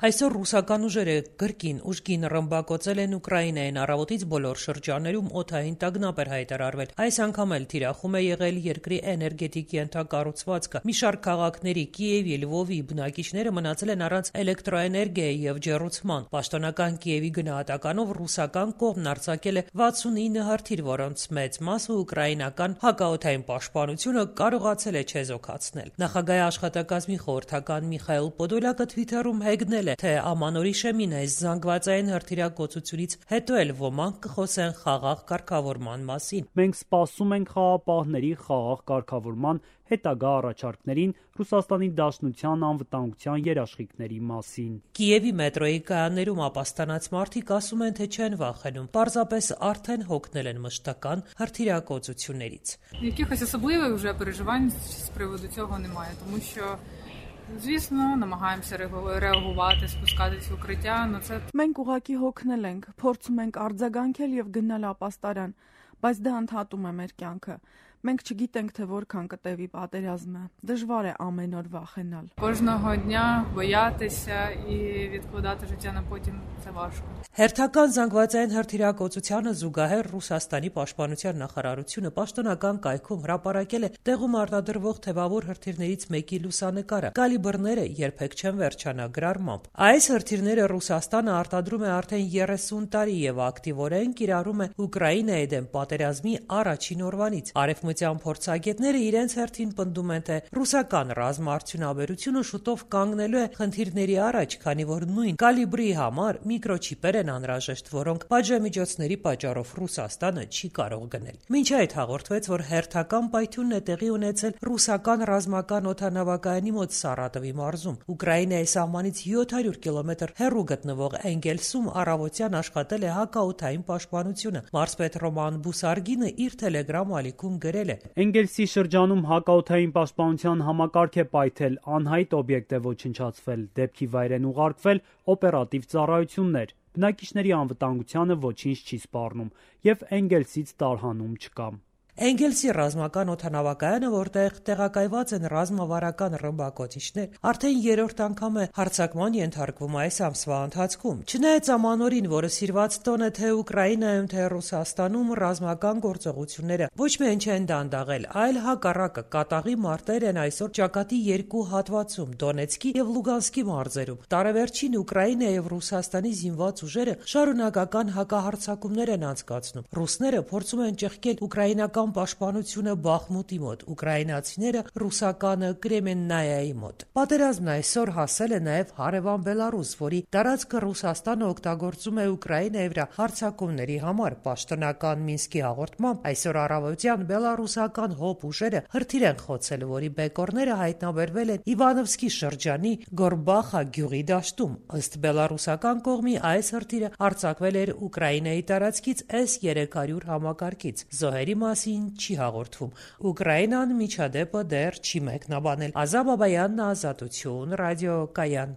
Այսօր ռուսական ուժերը կրկին ուժգին ռմբակոծել են Ուկրաինային, առավոտից բոլոր շրջաններում օդային տագնապ էր հայտարարվել։ Այս անգամ էլ թիրախում է եղել երկրի էներգետիկ ենթակառուցվածքը։ Մի շարք քաղաքների՝ Կիևի, Լվովի բնակիչները մնացել են առանց էլեկտրոէներգիայի եւ ջեռուցման։ Պաշտոնական Կիևի գնահատականով ռուսական կողմն արձակել է 69 հրթիռ, որոնց մեծ մասը ուկրաինական հակաօդային պաշտպանությունը կարողացել է չեզոքացնել։ Նախագահի աշխատակազմի խորհրդական Միխայել Պոդոլյակը Թվիթերում հեգնել է, թե ամանորի շեմին այս զանգվածային հրթիռակոծությունից հետո էլ ոմանք կխոսեն խաղաղ կարգավորման մասին։ Մենք սպասում ենք խաղաղապահների խաղաղ կարգավորման հետագա առաջարկներին Ռուսաստանի Դաշնության անվտանգության երաշխիքների մասին։ Կիևի մետրոյի կայաններում ապաստանած մարդիկ ասում են, թե չեն վախենում, պարզապես արդեն հոգնել են մշտական հրթիռակոծություններից։ Якихось особливих вже переживань з приводу цього немає, тому що звісно, намагаємося реагувати, спускатись в укриття, це Մենք ուղղակի հոգնել ենք, փորձում ենք արձագանքել եւ գնալ ապաստարան, բայց դա ընդհատում է մեր կյանքը։ Մենք չգիտենք, թե որքան կտևի պատերազմը։ Դժվար է ամեն օր վախենալ։ Кожного дня боятися і відкладати життя на потім це важко. Հերթական զանգվածային հրթիռակոծությանը զուգահեռ Ռուսաստանի պաշտպանության նախարարությունը պաշտոնական կայքում հրապարակել է տեղում արտադրվող թևավոր հրթիռներից մեկի լուսանկարը։ Կալիբրները երբեք չեն վերջանա գրառմամբ։ Այս հրթիռները Ռուսաստանը արտադրում է արդեն 30 տարի եւ ակտիվորեն կիրառում է Ուկրաինայի դեմ պատերազմի առաջին օրվանից։ Արևմտյան փորձագետները իրենց հերթին պնդում են, թե ռուսական ռազմաարդյունաբերությունը շուտով կանգնելու է խնդիրների առաջ, քանի որ նույն կալիբրի համար միկրոչիպեր են անհրաժեշտ, որոնք պատժամիջոցների պատճառով Ռուսաստանը չի կարող գնել։ Մինչ այդ հաղորդվեց, որ հերթական պայթյունն է տեղի ունեցել ռուսական ռազմական օդանավակայանի մոտ Սարատովի մարզում։ Ուկրաինայի սահմանից 700 կիլոմետր հեռու գտնվող Էնգելսում առավոտյան աշխատել է հակաօդային պաշտպանությունը։ Մարզպետ Ռոման Բուսարգինը իր Telegram ալիքում գրել է. Էնգելսի շրջանում հակաօդային պաշտպանության համակարգ է պայթել, անհայտ օբյեկտ է ոչնչացվել, դեպքի վայր են ուղարկվել օպերատիվ ծառայություններ։ Բնակիչների անվտանգությանը ոչինչ չի սպառնում եւ Էնգելսից տարհանում չկա։ Էնգելսի ռազմական օդանավակայանը, որտեղ տեղակայված են ռազմավարական ռմբակոծիչներ, արդեն երրորդ անգամ է հարձակման ենթարկվում այս ամսվա ընթացքում։ Չնայած ամանորին, որը սիրված տոն է թե Ուկրաինայում, թե Ռուսաստանում, ռազմական գործողությունները ոչ միայն չեն դանդաղել, այլ հակառակը կատաղի մարտեր են այսօր ճակատի երկու հատվածում՝ Դոնեցկի եւ Լուգանսկի մարզերում։ Տարեվերջին Ուկրաինայի եւ Ռուսաստանի զինված ուժերը շարունակական հակահարձակումներ են անցկացնում։ Ռուսները փորձում են ճեղքել ուկրաինական պաշտպանությունը Բախմուտի մոտ, ուկրաինացիները ռուսականը Կրեմեննայայի մոտ։ Պատերազմն այսօր հասել է նաև հարևան Բելարուս, որի տարածքը Ռուսաստանը օգտագործում է Ուկրաինայի վրա հարձակումների համար։ Պաշտոնական Մինսկի հաղորդմամբ այսօր առավոտյան բելարուսական հոբ ուժերը հրթիռ են խոցել, որի բեկորները հայտնաբերվել են Իվանովսկի շրջանի Գորբախա գյուղի դաշտում։ Ըստ բելարուսական կողմի այս հրթիռը արձակվել էր Ուկրաինայի տարածքից S-300 համակարգից։ Զոհերի մասին չի հաղորդվում։ Ուկրաինան միջադեպը դեռ չի մեկնաբանել։ Ազա Բաբայանն, Ազատություն, ռադիոկայան։